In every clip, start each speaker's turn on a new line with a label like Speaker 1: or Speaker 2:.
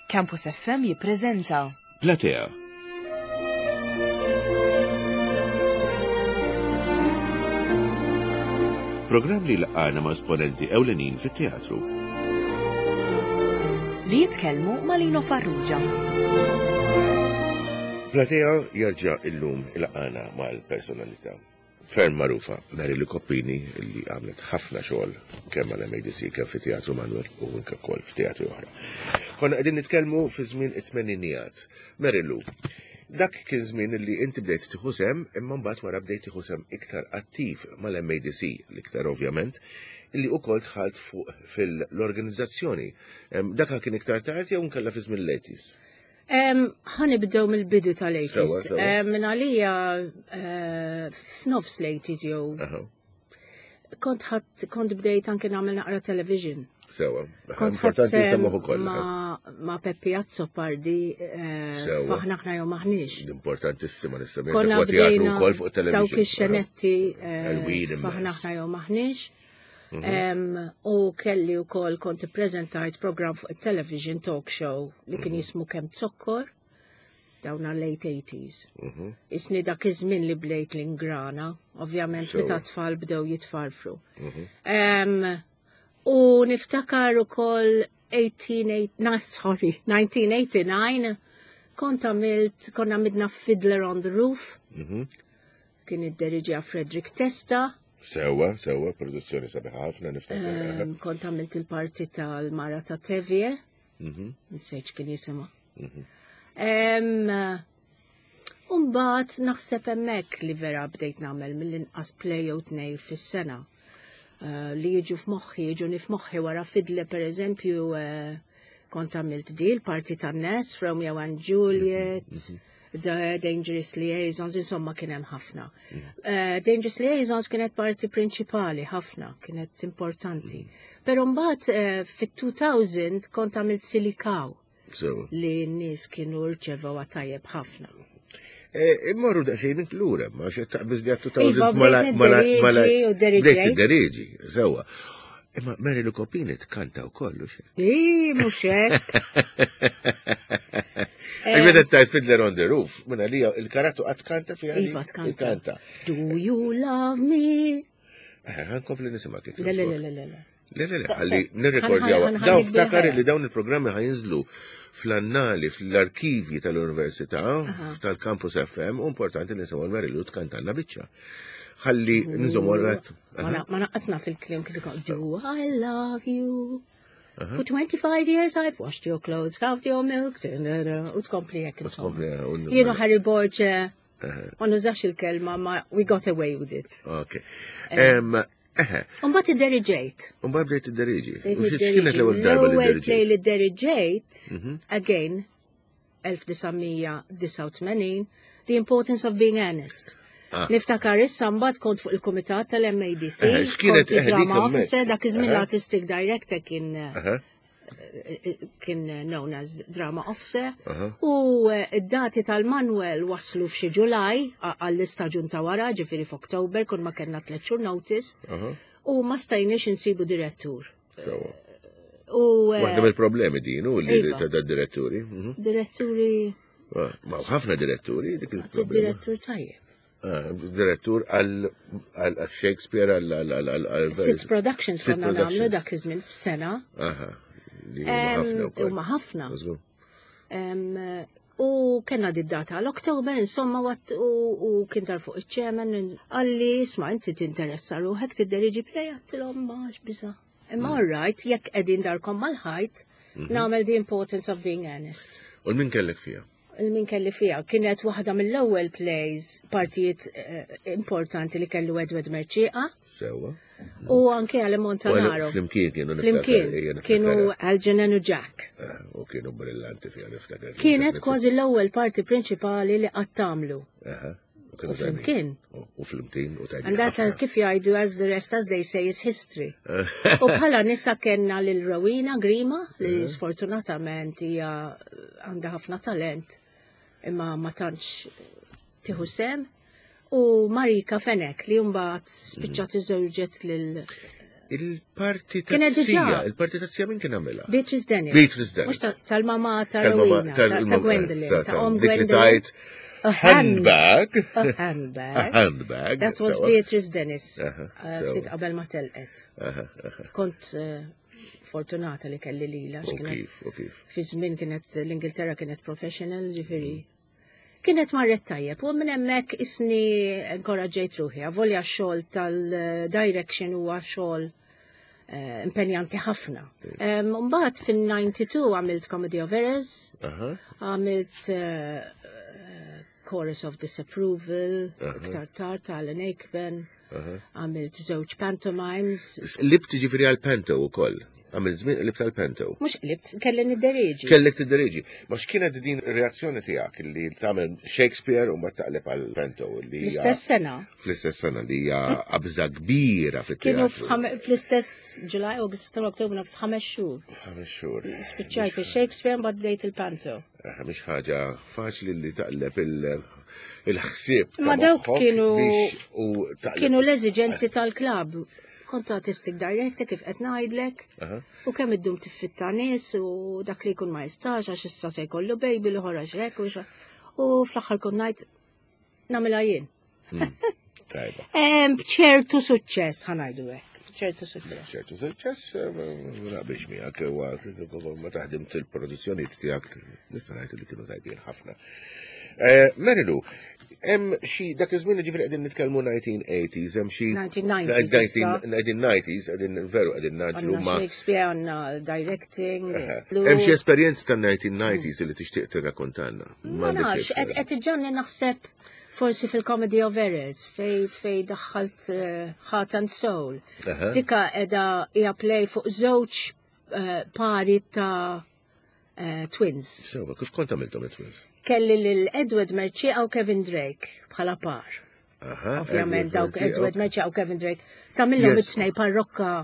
Speaker 1: Campus FM jippreżenta
Speaker 2: Platea. Programm li laqgħana ma' esponenti ewlenin fit-teatru.
Speaker 1: Li jitkellmu ma' Lino Farrugia.
Speaker 2: Platea jerġa' illum ilaqgħana mal-personalità ferm magħrufa Mary Lou Coppini li għamlet ħafna xogħol kemm mal-MADC kemm fi Teatru Manuel u anke wkoll f'teatri oħra. Konna qegħdin nitkellmu fi żmien it-tmeninijat. Mary Lou, dak kien żmien li inti bdejt tieħu sehem imma mbagħad wara bdejt tieħu sehem iktar attiv mal-MADC, l-iktar ovvjament, li ukoll dħalt fuq fil-organizzazzjoni. Dak kien iktar tard jew nkella fi żmien l-80s?
Speaker 3: Ħa nibdew mill-bidu tal-80s. Minn għalija eh, f'nofs l-80s jew. Kont ħadd kont bdejt anke nagħmel naqra television.
Speaker 2: Sewa.
Speaker 3: Kont ħadd ma' Peppi Azzopardi eh, faħna ħna jew maħniex.
Speaker 2: Importantissima nissemmi. Konna bdejna wkoll fuq television.
Speaker 3: Dawk ix-xenetti eh, faħna ħna jew maħniex. Mhm. U kelli u kol kont prezentajt program fuq il-television talk show li kien mhm. jismu Kem Zokkor dawna late 80s. Mhm. Isni dak iż-żmien li blejt l-ingrana, ovvjament meta tfal bdew jitfarfru. U niftakar ukoll 18, sorry, 1989 kont għamilt, konna għamilna Fiddler on the Roof. Kien idderiġiha Frederick Testa.
Speaker 2: Sewa, sewa, produzzjoni sabiħa ħafna niftakar.
Speaker 3: Ehm, kont għamilt il-parti tal-Mara ta' Tevje. Mhm. Nsejt kien jisimha. Mhm. Ehm, Umbat naħseb hemmhekk li vera bdejt nagħmel mill-inqas play jew tnej fis-sena. Eh, li jiġu f'moħħi, jiġu f'moħħi wara fidle per eżempju eh, kont għamilt di l-parti tan-nes Romeo and Juliet, mhm, mhm. The Dangerous Liaisons, insomma kien hemm ħafna. Mhm. Eh, Dangerous Liaisons kienet parti prinċipali ħafna, kienet importanti. Però mbagħad fit-2000 kont għamilt Silikaw. Li n-nies kienu rċevew tajjeb ħafna.
Speaker 2: E, immorru daqsxejn lura, ma xe taqbiż li għattu ta'
Speaker 3: iva, mala mala mala
Speaker 2: deriġi, sewa. Imma Mary Lou Coppini tkanta u kollu xe.
Speaker 3: I, mux hekk.
Speaker 2: Għax meta tajt Fiddler on the Roof, minna li il-karattu għat kanta fi
Speaker 3: Iva, tkanta. Do you love me?
Speaker 2: Eh, ħankompli nisimgħek.
Speaker 3: Le, le, le, le, le.
Speaker 2: Le, le, le, ħalli nirrekordjaw. Daw ftakar li dawn il-programmi ħajinżlu fl-annali, fl-arkivji tal-Università, tal-Campus FM, u importanti li nisimgħu l-Marilu tkantanna biċċa. Ħalli nżommu għal
Speaker 3: Ma naqqasna fil-klim kif ikun, Do I love you? For 25 years I've washed your clothes, carved your milk, u tkompli hekk. Jienu Harry Borg eh, Ma nużax il-kelma, ma we got away with it.
Speaker 2: Ok.
Speaker 3: Umbat id-deriġejt.
Speaker 2: Umbat bdejt id-deriġi. X'kienet l-ewwel darba li
Speaker 3: deriġejt? L-ewwel li deriġejt, mhm. again, 1989, The Importance of Being Earnest. Ah. Niftakar issa mbagħad kont fuq il-kumitat tal-MADC,
Speaker 2: kienet
Speaker 3: drama officer, dak iż-żmien l-artistic director kien kien known as drama officer u eh, id-dati tal-Manuel waslu f'xi Ġulaj għall-istaġun ta' wara, ġifieri f'Oktober, kun ma kellna tliet xhur notice u ma stajniex insibu direttur.
Speaker 2: U eh, Waħda mill-problemi din u li iva. ta' diretturi.
Speaker 3: Mhm. Diretturi.
Speaker 2: Ah, ma ħafna diretturi
Speaker 3: dik il-problema. Direttur tajjeb.
Speaker 2: Ah, direttur għal Shakespeare għal
Speaker 3: Sitt productions konna nagħmlu dak iż-żmien f'sena.
Speaker 2: Aha.
Speaker 3: Huma ħafna. U kena di data għal-Oktober, insomma, u kien dar fuq iċ-ċemen, għalli, isma' inti tinteressa ruħek tidderiġi play għattilhom ma biża. Imma mm. all right, jekk qegħdin darkom mal-ħajt, mhm. nagħmel the importance of being earnest.
Speaker 2: U l-min kellek fija?
Speaker 3: il-min kelli fija. Kienet waħda mill-ewwel plays partijiet eh, importanti li kellu Edward Merċieqa.
Speaker 2: Sewa.
Speaker 3: U anke għal Montanaro.
Speaker 2: Flimkien kienu.
Speaker 3: Flimkien kienu Algernon u Jack.
Speaker 2: Eh, u kienu brillanti fija niftakar.
Speaker 3: Kienet kważi l-ewwel parti prinċipali li qatt tagħmlu. U flimkien.
Speaker 2: U flimkien u
Speaker 3: tajjeb. And that's kif jgħidu as the rest as they say is history. U bħala nisa kellna lil Rowena Grima li sfortunatament hija għandha ħafna talent imma ma tantx tieħu sem. U Marika Fenek li mbagħad spiċċat iżewġet lil.
Speaker 2: Il-parti ta' sija, il-parti ta' sija min kien għamilha?
Speaker 3: Beatrice Dennis.
Speaker 2: Beatrice Dennis.
Speaker 3: Mhux tal-mama ta' Rowena, ta' Gwendolyn, ta' Om Gwendolyn.
Speaker 2: A handbag.
Speaker 3: A handbag.
Speaker 2: A handbag.
Speaker 3: That was Beatrice Dennis. Ftit qabel ma telqet. Kont eh, fortunata li kelli lila. Fi żmien kienet l-Ingilterra kienet professional, ġifieri. Mm. Kienet marret tajjeb u minn hemmhekk isni inkoraġġejt ruħi, avolja x-xogħol tal-direction huwa xogħol eh, impenjanti ħafna. Mbagħad fin-92 għamilt Comedy of Errors, għamilt eh, eh, Chorus of Disapproval, iktar tard ta' Alan Aikman. Għamilt żewġ pantomimes.
Speaker 2: Libt ġifieri għal panto ukoll. Għamilt żmien libt għal panto.
Speaker 3: Mhux libt, kelli nidderieġi.
Speaker 2: Kellek tidderieġi. Ma x'kienet din ir-reazzjoni tiegħek li tagħmel Shakespeare u mbagħad taqleb għal panto li
Speaker 3: Fl-istess sena.
Speaker 2: Fl-istess sena li hija qabża kbira
Speaker 3: fit-teatru. Kienu fl-istess July, August, September, October, f'ħames xhur.
Speaker 2: F'ħames xhur.
Speaker 3: Spiċċajt il-Shakespeare mbagħad bdejt il-panto.
Speaker 2: Mhix ħaġa faċli li taqleb il-ħsieb.
Speaker 3: Ma dawk kienu kienu l-eżiġenzi tal-klabb. Kont artistic director kif qed ngħidlek. U kemm iddum tiffitta nies u dak li jkun ma jistax għax issa se jkollu baby l ħoraġ hekk u u fl-aħħar kont ngħid nagħmilha jien.
Speaker 2: Hmm. Tajba.
Speaker 3: B'ċertu suċċess ħanajdu hekk ċertu suċċess.
Speaker 2: ċertu suċċess, eh, naqbilx miegħek, huwa ma taħdim til-produzzjonijiet tiegħek nista' ngħid li kienu tajbin ħafna. Eh, Merilu, hemm xi dak iż-żmien ġifieri qegħdin nitkellmu 1980s, hemm xi
Speaker 3: 1990s,
Speaker 2: 1990s qegħdin veru qegħdin naġlu
Speaker 3: ma' Shakespeare għandna directing.
Speaker 2: Hemm xi esperjenzi tan-1990s li tixtieq tirrakkontanna.
Speaker 3: Ma nafx, qed iġġanni naħseb Forsi fil-Comedy of Errors fej fej daħħalt eh, Heart and Soul. Dika edha hija play fuq żewġ eh, pari ta' eh, twins.
Speaker 2: Sewa, kif kont għamiltom it-twins?
Speaker 3: Kelli lil Edward Merċieqa u Kevin Drake bħala par. Ovvjament dawk Edward Merċieqa u Kevin Drake. Tamillhom it-tnej parrokka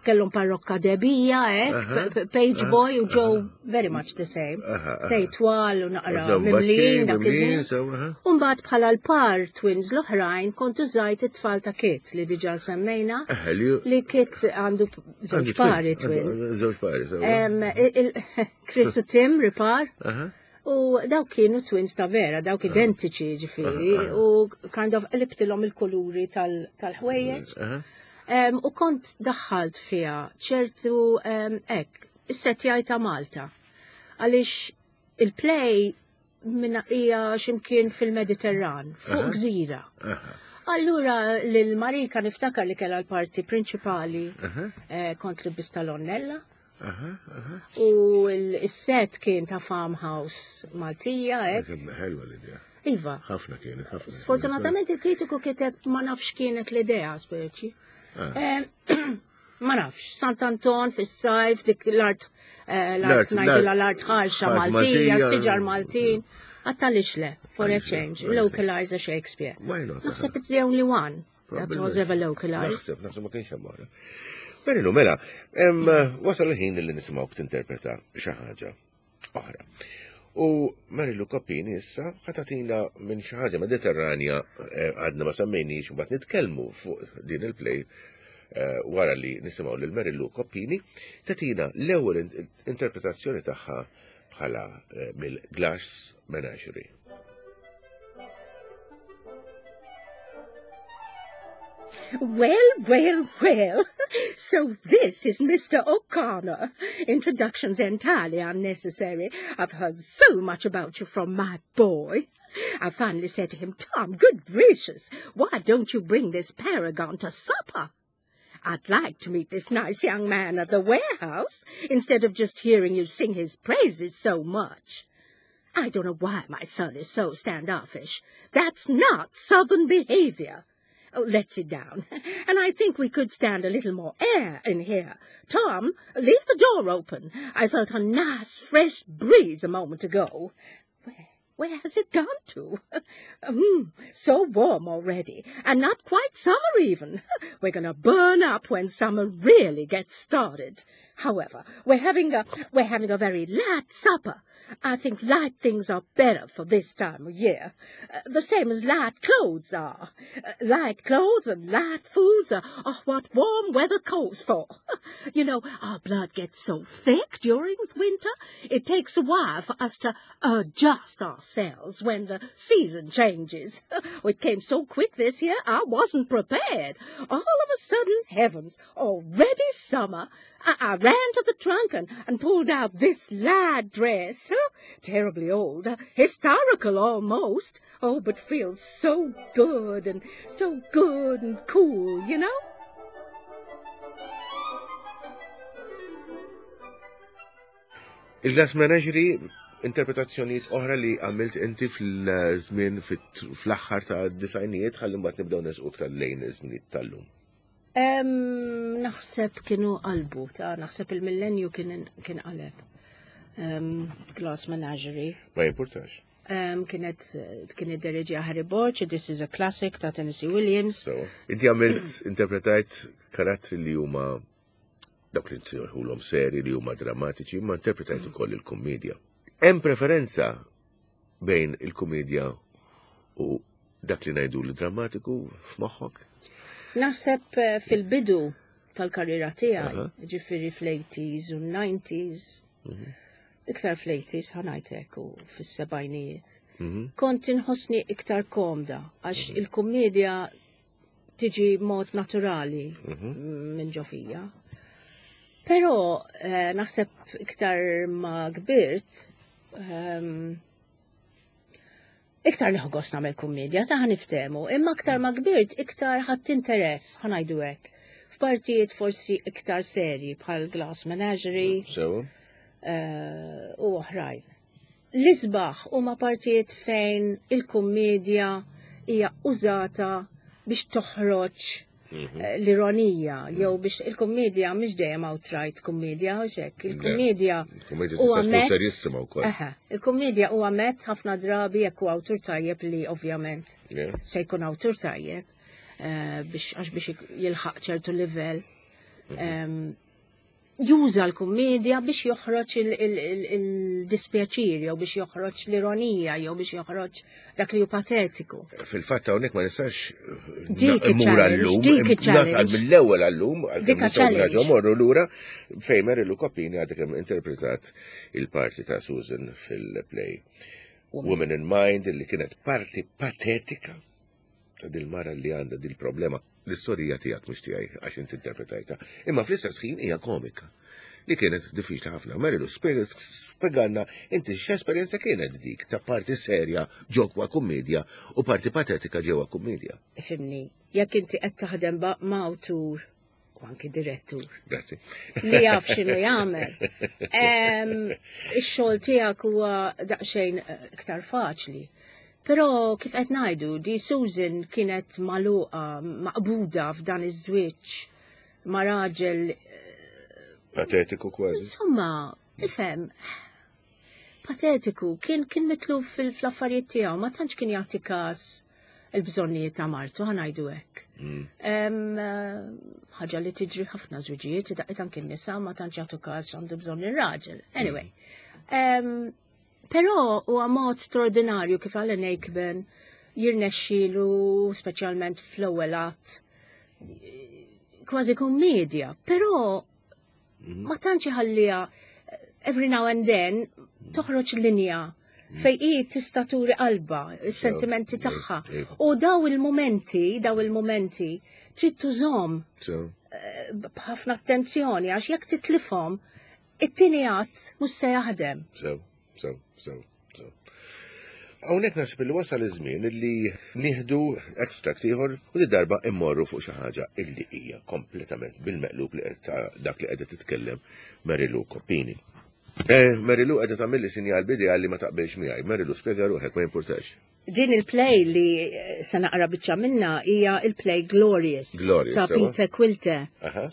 Speaker 3: kellhom parrokka debija, hekk, page boy u Joe very much the same. Tej twal u naqra mimlin dak iż-żmien. U mbagħad bħala l-par twins l-oħrajn kont użajt it-tfal ta' Kit li diġà semmejna li Kit għandu żewġ pari twins.
Speaker 2: Żewġ pari.
Speaker 3: Chris u Tim ripar. U dawk kienu twins ta' vera, dawk identiċi ġifiri, u kind of qlibtilhom il-kuluri tal-ħwejjeġ. U kont daħħalt fiha ċertu hekk, is-setjaj ta' Malta. Għaliex il-play minna hija x'imkien fil-Mediterran, fuq gżira. Allura lil Marika niftakar li kellha l-parti prinċipali eh, kont li bista l-onnella. U l-set kien ta' farmhouse Maltija, hekk.
Speaker 2: Ħelwa l-idea.
Speaker 3: Iva.
Speaker 2: Ħafna kienet, ħafna.
Speaker 3: Sfortunatament il-kritiku kiteb ma nafx kienet l-idea, speċi. Ah. Eh, ma nafx, Sant'Anton fis-sajf, dik l-art eh, l-art ngħidilha l-art ħarxa Maltija, siġar Maltin. Għattalix le, for a change, localize a Shakespeare. Naħseb it's the only one. That was ever localized.
Speaker 2: Naħseb, naħseb ma kienx hemm oħra. Merilu, mela, wasal il-ħin li nisimgħu tinterpreta xi ħaġa oħra. U Marilu Koppini issa ħatatina minn xi ħaġa Mediterranja eh, għadna ma semmejniex mbagħad nitkellmu fuq din il-play eh, wara li nisimgħu lil Marilu Koppini tatina l-ewwel interpretazzjoni tagħha bħala eh, mill-Glass Menagerie.
Speaker 3: Well, well, well. So this is Mr. O'Connor. Introduction's entirely unnecessary. I've heard so much about you from my boy. I finally said to him, Tom, good gracious, why don't you bring this paragon to supper? I'd like to meet this nice young man at the warehouse instead of just hearing you sing his praises so much. I don't know why my son is so standoffish. That's not southern behavior. Oh, let's sit down. And I think we could stand a little more air in here. Tom, leave the door open. I felt a nice fresh breeze a moment ago. Where, where has it gone to? mm, so warm already, and not quite summer even. We're going to burn up when summer really gets started. However, we're having a we're having a very light supper. I think light things are better for this time of year. Uh, the same as light clothes are. Uh, light clothes and light foods are, are what warm weather calls for. you know, our blood gets so thick during winter, it takes a while for us to adjust ourselves when the season changes. it came so quick this year, I wasn't prepared. All of a sudden, heavens, already summer. I, I ran to the trunk and, and pulled out this lad dress. Terribly old, historical almost. Oh, but feels so good and so good and cool, you know?
Speaker 2: Il-Glass Menagerie, interpretazzjonijiet oħra li għamilt inti fil-żmien fl-aħħar ta' disajnijiet ħalli mbagħad nibdew nesqu iktar lejn iż-żminijiet tal-lum.
Speaker 3: Naħseb kienu qalbu ta' naħseb il-millenju kien kien qaleb. Glass Menagerie.
Speaker 2: Ma jimpurtax.
Speaker 3: Kienet kien iddereġi Harry Borch, This is a Classic ta' Tennessee Williams.
Speaker 2: So, inti għamilt interpretajt karattri li huma dawk li nsejħulhom seri li huma drammatiċi, ma interpretajt ukoll il-kummedja. Hemm preferenza bejn il-kumedja u dak li ngħidu li drammatiku f'moħħok?
Speaker 3: Naħseb eh, fil-bidu tal-karriera tiegħi, ġifieri fl-80s u 90s, mhm. iktar fl-80s ħanajtek u fis-sebgħinijiet. Mhm. Kont inħossni iktar komda għax mhm. il-kummedja tiġi mod naturali mhm. minn ġo fija. Però eh, naħseb iktar ma kbirt, ehm, iktar nieħu gost nagħmel kummedja ta' niftehmu, imma iktar ma kbirt iktar ħadd interess ħanajdu hekk. F'partijiet forsi iktar serji bħal Glass Menagerie eh, u oħrajn. L-isbaħ huma partijiet fejn il-kummedja hija użata biex toħroġ mhm. eh, l-ironija jew mhm. biex il-kummedja mhix dejjem outright kummedja hekk. Il-kummedja
Speaker 2: huwa mezz.
Speaker 3: Il-kummedja huwa mezz ħafna drabi jekk huwa awtur tajjeb li ovvjament se jkun awtur tajjeb eh, biex għax biex jilħaq ċertu livell. Mhm. Juża l-kummedja biex joħroġ il-dispjaċir jew biex joħroġ l-ironija jew biex joħroġ dak li hu patetiku.
Speaker 2: Fil-fatt hawnhekk ma nistax immur għallum, nasal mill-ewwel għallum,
Speaker 3: dik challenge.
Speaker 2: Morru lura fejn Mary Lou Coppini għadha kemm interpretat il-parti ta' Susan fil-play Women in Mind li kienet parti patetika ta' dil-mara li għandha dil-problema. L-istorija tiegħek mhux tiegħi għax inti interpretajta. Imma fl-istess ħin hija komika li kienet diffiċli ħafna. Marilu, spjegalna inti x'esperjenza kienet dik ta' parti serja ġewwa kummedja u parti patetika ġewwa kummedja.
Speaker 3: Ifhimni, jekk inti qed taħdem ma' awtur u anki direttur.
Speaker 2: Grazzi.
Speaker 3: Li jaf x'inhu jagħmel. Ix-xogħol tiegħek huwa daqsxejn eh, iktar faċli. Però kif qed ngħidu, di Susan kienet magħluqa, maqbuda f'dan iż-żwieġ ma' raġel eh,
Speaker 2: patetiku kważi.
Speaker 3: Insomma, ifhem, patetiku, kien kien mitluf fil-affarijiet tiegħu, ma tantx kien jagħti każ il-bżonnijiet ta' martu, ħanajdu hekk. Mm. Eh, ħaġa li tiġri ħafna żwiġijiet, daqqiet anki n-nisa ma tantx jagħtu każ għandu bżonn ir-raġel. Anyway. Mm. Però huwa mod straordinarju kif Alan Aikman jirnexxilu speċjalment fl-ewwel att kważi kommedja, però mhm. ma tantx iħalliha every now and then toħroġ linja fej hi tista' turi qalba, is-sentimenti tagħha. U daw il-momenti, daw il-momenti trid tużhom eh, b'ħafna attenzjoni għax jekk titlifhom it-tieni għadd mhux se jaħdem.
Speaker 2: Sew, sew, sew. Hawnhekk naħseb li wasal iż-żmien li nieħdu extract ieħor u di darba immorru fuq xi ħaġa illi hija kompletament bil-meqlub li ta' dak li qiegħda titkellem Mary Lou Coppini. Eh, Mary Lou qiegħda tagħmilli sinjal bidejha li ma taqbilx miegħi. Mary Lou spjega ruħek ma jimpurtax.
Speaker 3: Din il-play li se naqra biċċa minna hija il-play Glorious,
Speaker 2: Glorious
Speaker 3: ta' Peter Quilte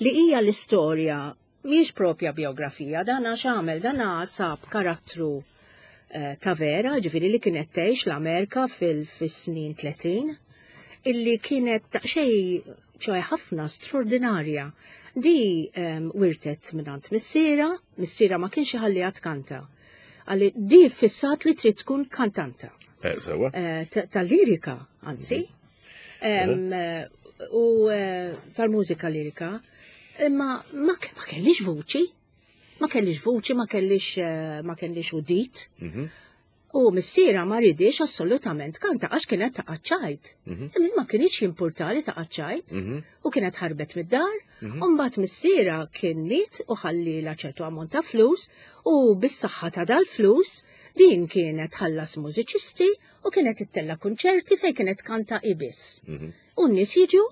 Speaker 3: li hija l-istorja Mhijiex propja bijografija, dan għax għamel, dan sab karattru eh, ta' vera, ġifieri li kienet tgħix l-Amerika fil-snin 30, illi kienet daqsxejn ċoħe ħafna straordinarja. Di wirtet mingħand missiera, missiera ma kienx iħalliha tkanta. Għalli di fissat li trid tkun kantanta.
Speaker 2: Sewa.
Speaker 3: Tal-lirika, anzi. U tal-mużika lirika. Imma ma kellix vuċi. Ma kellix vuċi, ma kellix udit. U missiera ma ridix assolutament kanta għax kienet ta' ċajt. Imma ma kienx jimpurtali ta' ċajt. U kienet ħarbet mid-dar. U mbagħad missiera kien miet u ħallila ċertu ammont ta' flus u bis-saħħa ta' dal-flus din kienet ħallas mużiċisti u kienet ittella kunċerti fejn kienet kanta ibis. U n-nies jiġu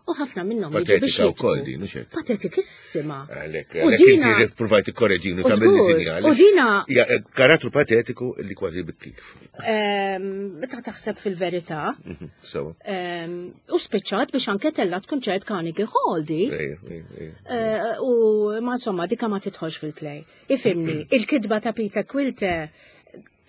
Speaker 3: u ħafna minnhom jiġu biex
Speaker 2: Patetika wkoll
Speaker 3: jitbu.
Speaker 2: din, mhux hekk?
Speaker 3: Patetikissima.
Speaker 2: Għalhekk,
Speaker 3: U
Speaker 2: għalhekk
Speaker 3: dina-
Speaker 2: inti provajt ikkoreġini
Speaker 3: U
Speaker 2: tagħmel
Speaker 3: żgur,
Speaker 2: sinjali.
Speaker 3: u dina-
Speaker 2: Hija karattru patetiku li kważi bikkik.
Speaker 3: Meta taħseb fil-verità,
Speaker 2: Sewa.
Speaker 3: U spiċċat biex anke tellat kunċert Carnegie Hall di.
Speaker 2: Ejja, ejja, ejja.
Speaker 3: U ma insomma, dika ma tidħolx fil-play. Ifimni, il-kidba ta' Peter Quilter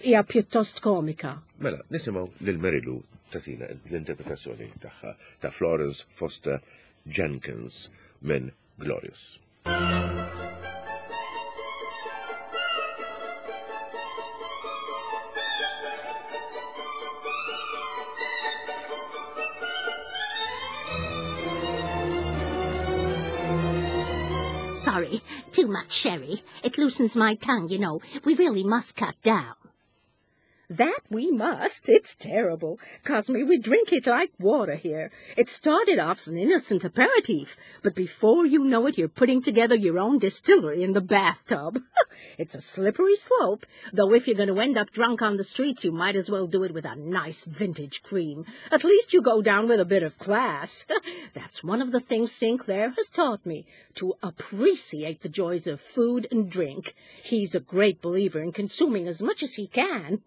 Speaker 3: hija pjuttost komika.
Speaker 2: Mela, nisimgħu lil Mary Lou tatina l-interpretazzjoni tagħha ta' Florence Foster Jenkins minn Glorious.
Speaker 4: Sorry, too much sherry. It loosens my tongue, you know. We really must cut down.
Speaker 3: That we must. It's terrible. Cosme, we drink it like water here. It started off as an innocent aperitif, but before you know it, you're putting together your own distillery in the bathtub. It's a slippery slope, though if you're going to end up drunk on the streets, you might as well do it with a nice vintage cream. At least you go down with a bit of class. That's one of the things Sinclair has taught me, to appreciate the joys of food and drink. He's a great believer in consuming as much as he can.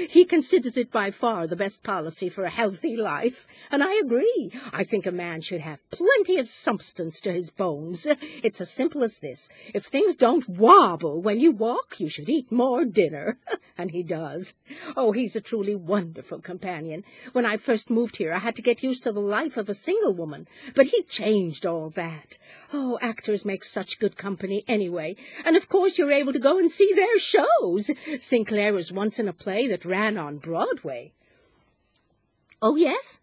Speaker 3: He considers it by far the best policy for a healthy life, and I agree. I think a man should have plenty of substance to his bones. It's as simple as this. If things don't wobble when you walk, you should eat more dinner. And he does. Oh, he's a truly wonderful companion. When I first moved here, I had to get used to the life of a single woman, but he changed all that. Oh, actors make such good company anyway, and of course you're able to go and see their shows. Sinclair was once in a play that ran on Broadway. Oh, yes?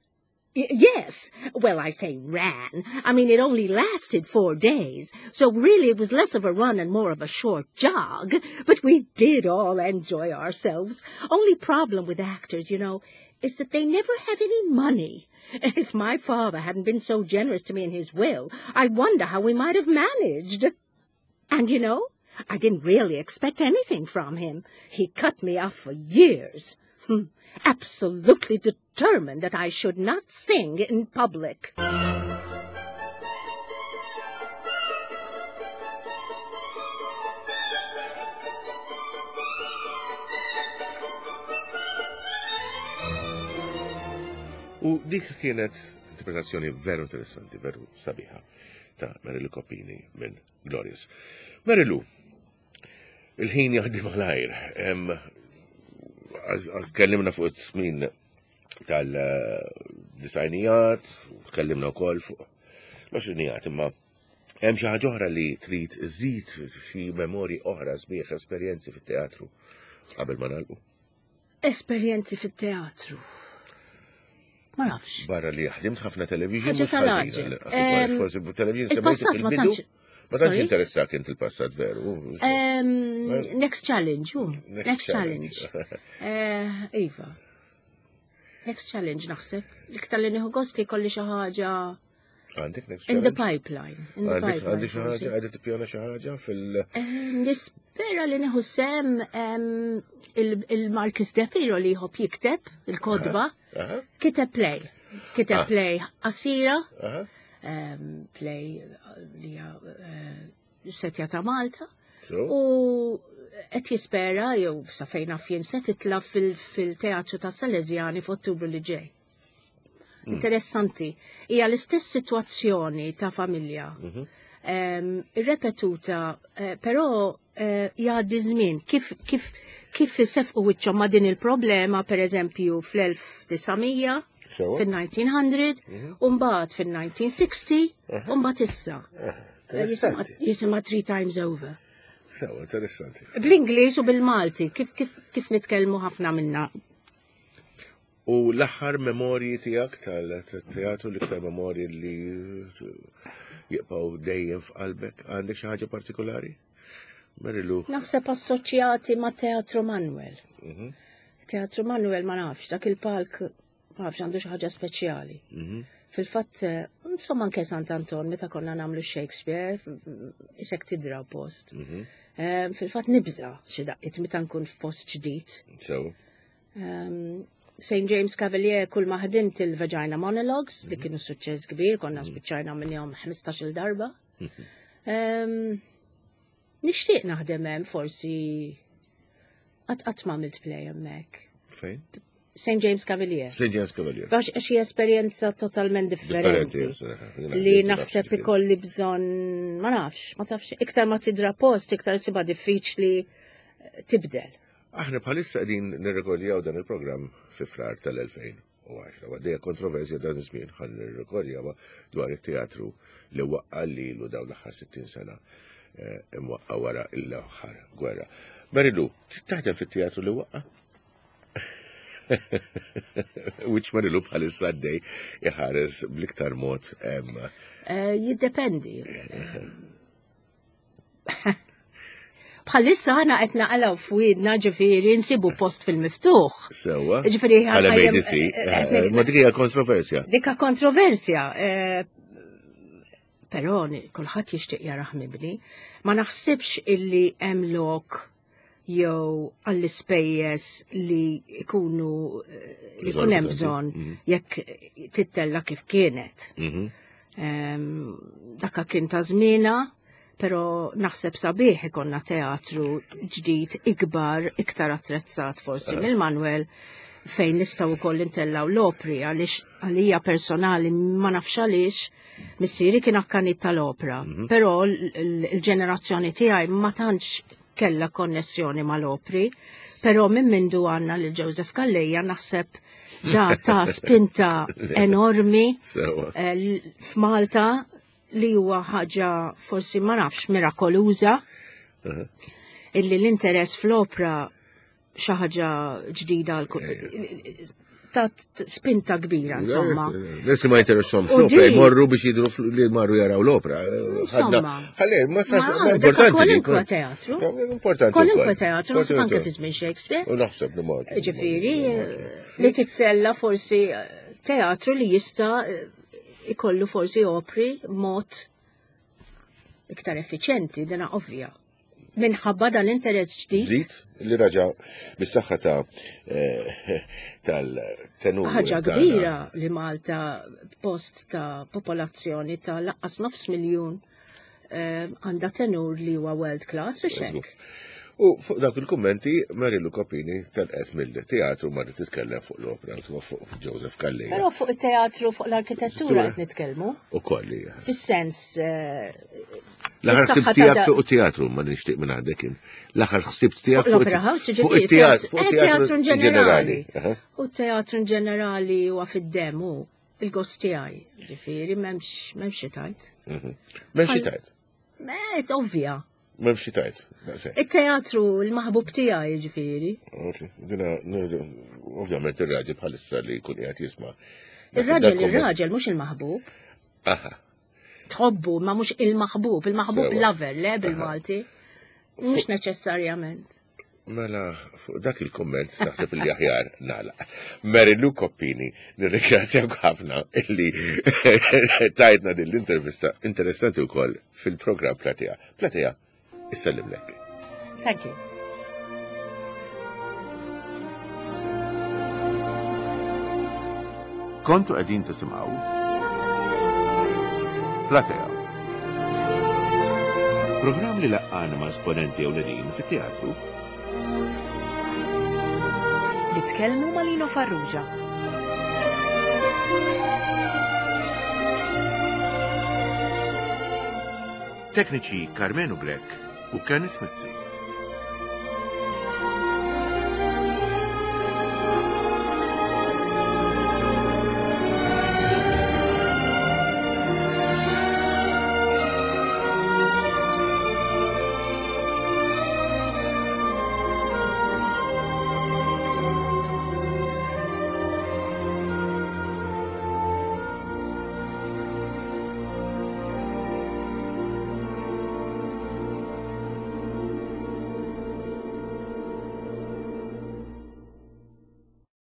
Speaker 3: Yes. Well, I say ran. I mean, it only lasted 4 days, so really it was less of a run and more of a short jog. But we did all enjoy ourselves. Only problem with actors, you know, is that they never have any money. If my father hadn't been so generous to me in his will, I wonder how we might have managed. And, you know, I didn't really expect anything from him. He cut me off for years. Absolutely determined that I should not sing in public.
Speaker 2: U dik kienet interpretazzjoni veru interessanti, veru sabiħa ta' Mary Lou Coppini minn Glorious. Mary Lou, il-ħin jaħdem malajr. Għaz tkellimna fuq it-smin tal-disajnijat, tkellimna wkoll fuq l-għoxrinijat, imma hemm xi ħaġa oħra li trid iżid xi memorji oħra sbieħ esperjenzi fit-teatru qabel ma nagħlqu.
Speaker 3: Esperjenzi fit-teatru. Ma nafx.
Speaker 2: Barra li ħdimt ħafna television,
Speaker 3: Ħaġa
Speaker 2: mhux
Speaker 3: tal-għaġeb.
Speaker 2: ħażina, lanqas ukoll, forsi television semmejtu
Speaker 3: Il-passat ma
Speaker 2: fil-bidu.
Speaker 3: tantx
Speaker 2: Ma tantx
Speaker 3: Sorry?
Speaker 2: interessak int il-passat veru.
Speaker 3: Next challenge, hu.
Speaker 2: Next
Speaker 3: Next challenge.
Speaker 2: challenge.
Speaker 3: Iva. Next challenge naħseb. L-iktar li nieħu gost li jkolli xi ħaġa
Speaker 2: Għandek next
Speaker 3: in the
Speaker 2: challenge?
Speaker 3: pipeline. In the
Speaker 2: Għandek
Speaker 3: pipeline,
Speaker 2: għandek xi
Speaker 3: forsi.
Speaker 2: ħaġa, għandek tippjana xi ħaġa fil-
Speaker 3: Nispera li nieħu sem il-Marcus De Piro li jħobb jikteb il-kodba. Kiteb play. Kiteb play qasira. Play li hija setja ta' Malta. U qed jispera jew sa fejn naf jien se titla' fil-teatru ta' Salesiani f'Ottubru li ġej. Interessanti. Hija l-istess sitwazzjoni ta' familja. Irrepetuta, però jgħaddi żmien kif isefqu wiċċhom ma' din il-problema, per eżempju, fl-1900. Fil-1900, u mbagħad fil-1960, u mbagħad issa. Jisimha Three Times Over.
Speaker 2: Sewa, interessanti.
Speaker 3: Bl-Ingliż u bil-Malti, kif, kif, kif nitkellmu ħafna minna.
Speaker 2: U l-aħħar memorji tiegħek tal-teatru, l-iktar memorji li jibqgħu dejjem f'qalbek, għandek xi ħaġa partikolari? Marilu.
Speaker 3: Naħseb assoċjati ma' Teatru Manuel. Teatru Manuel ma nafx, dak il-palk ma nafx għandu xi ħaġa speċjali. Fil-fatt, insomma anke Sant Anton, meta konna nagħmlu Shakespeare, isek tidra post. Fil-fatt nibża xi daqqiet meta nkun f'post ġdid.
Speaker 2: Sew.
Speaker 3: St. James Cavalier kull ma ħdimt il-Vagina Monologues li kienu suċċess kbir, konna spiċċajna minnhom 15-il darba. Nixtieq naħdem hemm forsi qatt qatt ma għamilt play hemmhekk.
Speaker 2: Fejn?
Speaker 3: St. James Cavalier.
Speaker 2: St. James Cavalier.
Speaker 3: Għax għax hija esperjenza totalment differenti. Li naħseb ikolli bżonn, ma nafx, ma tafx, iktar ma tidra post, iktar siba diffiċli tibdel.
Speaker 2: Aħna bħalissa qegħdin nirrekordjaw dan il-programm fi Frar tal-2010. Għaddejja kontroversja dan iż-żmien ħan nirrekordjawha dwar it-teatru li waqqa' lilu dawn l-aħħar 60 sena imwaqqa' wara l-aħħar gwerra. Marilu, taħdem fit-teatru li waqqa'? Wiċċ Marilu bħalissa għaddej iħares bl-iktar mod.
Speaker 3: Jiddependi. Bħalissa ħana qed naqalgħu f'wiedna ġifieri nsibu post fil-miftuħ.
Speaker 2: Sewwa.
Speaker 3: Ġifieri
Speaker 2: Bħala ADC, ma dik hija kontroversja.
Speaker 3: Dikka kontroversja. Però kulħadd jixtieq jarah mibni. Ma naħsibx illi hemm lok jew għall-ispejjeż li jkunu li jkun hemm bżonn jekk tittella kif kienet. Dakka kien ta' żmiena, però naħseb sabiħ ikonna teatru ġdid ikbar, iktar attrezzat forsi mill-Manuel fejn nistgħu wkoll intellaw l-opri għaliex għalija personali ma nafx għaliex missieri kien akkanit tal-opra, però l-ġenerazzjoni tiegħi ma tantx kella konnessjoni mal-opri, però minn mindu għandna lil Joseph Calleja naħseb da ta' spinta enormi f'Malta li huwa ħaġa forsi ma nafx mirakoluża illi l-interess fl-opra xi ħaġa ġdida ta' spinta kbira, insomma.
Speaker 2: Nies li ma jinteressahomx l-opra jmorru biex jidru li marru jaraw l-opra.
Speaker 3: Insomma.
Speaker 2: Ħalli, ma sa ma importanti.
Speaker 3: Kwalunkwe teatru.
Speaker 2: Importanti.
Speaker 3: Kwalunkwe teatru, naħseb anke fi żmien Shakespeare.
Speaker 2: U naħseb li ma.
Speaker 3: Ġifieri, li tittella forsi teatru li jista' ikollu forsi opri mod iktar effiċjenti, dina ovvja. Minħabba dan l-interess ġdid.
Speaker 2: Ġdid li raġa bis-saħħa ta' tal-tenur.
Speaker 3: Ħaġa kbira li Malta post ta' popolazzjoni ta' laqqas nofs miljun għandha tenur li huwa world class u xek.
Speaker 2: U fuq dawk il-kummenti Marilu Coppini telqet mill-teatru marret titkellem fuq l-opra u fuq Joseph Calleja.
Speaker 3: Però fuq it-teatru, fuq l-arkitettura qed nitkellmu.
Speaker 2: U kolli.
Speaker 3: Fis-sens,
Speaker 2: L-aħħar
Speaker 3: is-saħħa
Speaker 2: ħsieb
Speaker 3: ta'
Speaker 2: tiegħek
Speaker 3: da-
Speaker 2: fuq it-teatru ma nixtieq minn għandek kien. L-aħħar ħsieb tiegħek
Speaker 3: Fuq
Speaker 2: fuq
Speaker 3: l-opera house,
Speaker 2: fuq
Speaker 3: ġifieri,
Speaker 2: it-teatru, fuq
Speaker 3: teatru
Speaker 2: it-teatru
Speaker 3: in ġenerali.
Speaker 2: ġenerali.
Speaker 3: U t-teatru in ġenerali huwa fid-demm hu il-gost tiegħi. Ġifieri m'hemmx xi tajt.
Speaker 2: M'hemmx xi tajt.
Speaker 3: Met ovvja.
Speaker 2: M'hemmx xi tajt, daqshekk.
Speaker 3: It-teatru l-maħbub tiegħi ġifieri.
Speaker 2: Ok, dina, ovvjament ir-raġel bħalissa li jkun qiegħed jisma'.
Speaker 3: Ir-raġel,
Speaker 2: Dak kumment.
Speaker 3: ir-raġel mhux il-maħbub.
Speaker 2: Aha.
Speaker 3: Tħobbu, ma mhux il-maħbub, il-maħbub
Speaker 2: Sewa.
Speaker 3: lover, le bil-Malti. Mhux neċessarjament.
Speaker 2: Mela, fuq dak il-komment naħseb li aħjar nagħlaq. Marilu Coppini, nirringrazzjak ħafna illi tajtna din l-intervista interessanti wkoll fil-programm Platea. Platea, issellimlek.
Speaker 3: Thank you.
Speaker 2: Kontu qegħdin tisimgħu Platea. Programm li laqqana ma' esponenti ewlenin fit-teatru.
Speaker 1: Li tkellmu ma' Lino Farrugia.
Speaker 2: Tekniċi Carmenu Grech u Kenneth Mizzi.